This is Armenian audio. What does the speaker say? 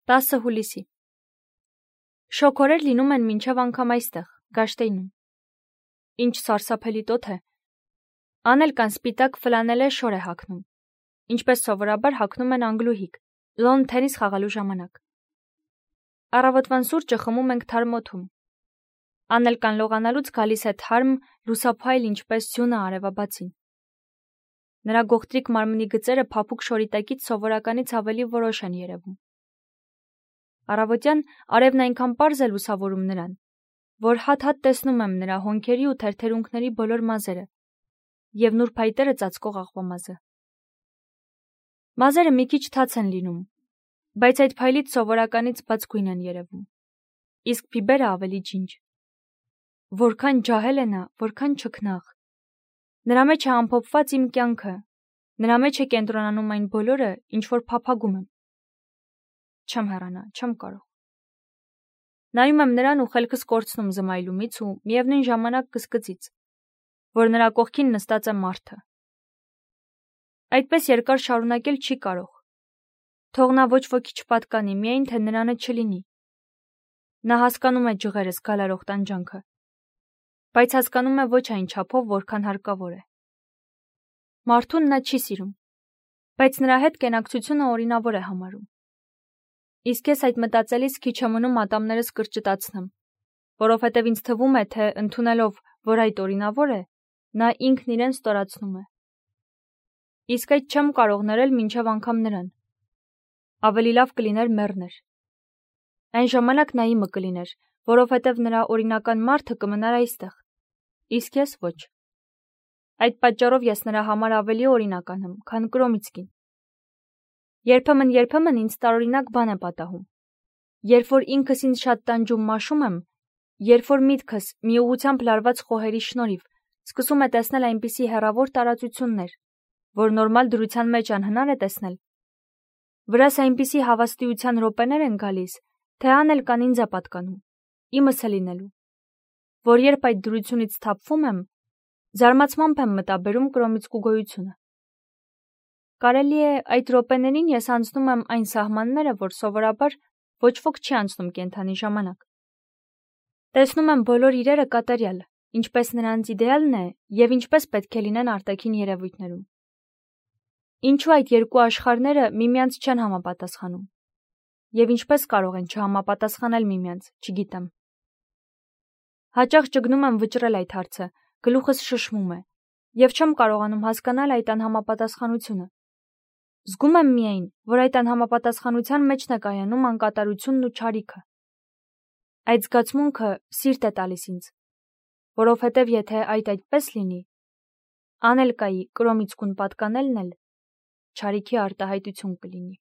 10 հուլիսի։ Շոգորեր լինում են մինչև անգամ այստեղ, Գաշտեյնում։ Ինչ սարսափելի տոթ է։ Անել կան սպիտակ ֆլանելե շոր է հագնում, ինչպես սովորաբար հագնում են անգլուհիկ, լոն թենիս խաղալու ժամանակ։ Առավոտվան սուրճը խմում ենք թարմ օդում։ Անել կան լողանալուց գալիս է թարմ, լուսափայլ ինչպես ձյունը արևաբացին։ Նրա գողտրիկ մարմնի գծերը փափուկ շորի տակից սովորականից ավելի որոշ են երևում։ Առավոտյան արևն այնքան պարզ է լուսավորում նրան, որ հատ-հատ տեսնում եմ նրա հոնքերի ու թերթերունքների բոլոր մազերը և նուրբ փայտերը ծածկող աղվամազը։ Մազերը մի քիչ թաց են լինում, բայց այդ փայլից սովորականից բաց գույն են երևում, իսկ փիբերը ավելի ջինջ։ Որքան ջահել է նա, որքան չքնաղ։ Նրա մեջ է ամփոփված իմ կյանքը, նրա մեջ է կենտրոնանում այն բոլորը, ինչ որ փափագում եմ։ Չեմ հեռանա, չեմ կարող։ Նայում եմ նրան ու խելքս կորցնում զմայլումից ու միևնույն ժամանակ կսկծից, որ նրա կողքին նստած է մարդը։ Այդպես երկար շարունակել չի կարող։ Թող նա ոչ ոքի չպատկանի, միայն թե նրանը չլինի։ Նա հասկանում է ջղերս գալարող տանջանքը, բայց հասկանում է ոչ այն չափով, որքան հարկավոր է։ Մարդուն նա չի սիրում, բայց նրա հետ կենակցությունը օրինավոր է համարում։ Իսկ ես այդ մտածելիս քիչ է մնում ատամներս կրճտացնեմ, որովհետև ինձ թվում է, թե ընդունելով, որ այդ օրինավոր է, նա ինքն իրեն ստորացնում է։ Իսկ այդ չեմ կարող ներել մինչև անգամ նրան։ Ավելի լավ կլիներ մեռներ։ Այն ժամանակ նա իմը կլիներ, որովհետև նրա օրինական մարդը կմնար այստեղ, իսկ ես ոչ։ Այդ պատճառով ես նրա համար ավելի օրինական եմ, քան Կրոմիցկին։ Երբեմն ինձ տարօրինակ բան է պատահում։ Երբ որ ինքս ինձ շատ տանջում մաշում եմ, երբ որ միտքս մի ուղղությամբ լարված խոհերի շնորհիվ սկսում է տեսնել այնպիսի հեռավոր տարածություններ, որ նորմալ դրության մեջ անհնար է տեսնել, վրաս այնպիսի հավաստիության րոպեներ են գալիս, թե անել կան ինձ է պատկանում, իմս է լինելու, որ երբ այդ դրությունից թափվում եմ, զարմացմամբ եմ մտաբերում Կրոմիցկու գոյությունը։ Կարելի է այդ րոպեներին ես անցնում եմ այն սահմանները, որ սովորաբար ոչ ոք չի անցնում կենդանի ժամանակ։ Տեսնում եմ բոլոր իրերը կատարյալ, ինչպես նրանց իդեալն է և ինչպես պետք է լինեն արտաքին երևույթներում։ Ինչու այդ երկու աշխարհները միմյանց չեն համապատասխանում։ Եվ ինչպես կարող են չհամապատասխանել միմյանց, չգիտեմ։ Հաճախ ճգնում եմ վճռել այդ հարցը, գլուխս շշմում է, և չեմ կարողանում հասկանալ այդ անհամապատասխանությունը։ Զգում եմ միայն, որ այդ անհամապատասխանության մեջն է կայանում անկատարությունն ու չարիքը։ Այդ զգացմունքը սիրտ է տալիս ինձ, որովհետև եթե այդպես լինի, Անելկայի Կրոմիցկուն պատկանելն էլ չարիքի արտահայտություն կլինի։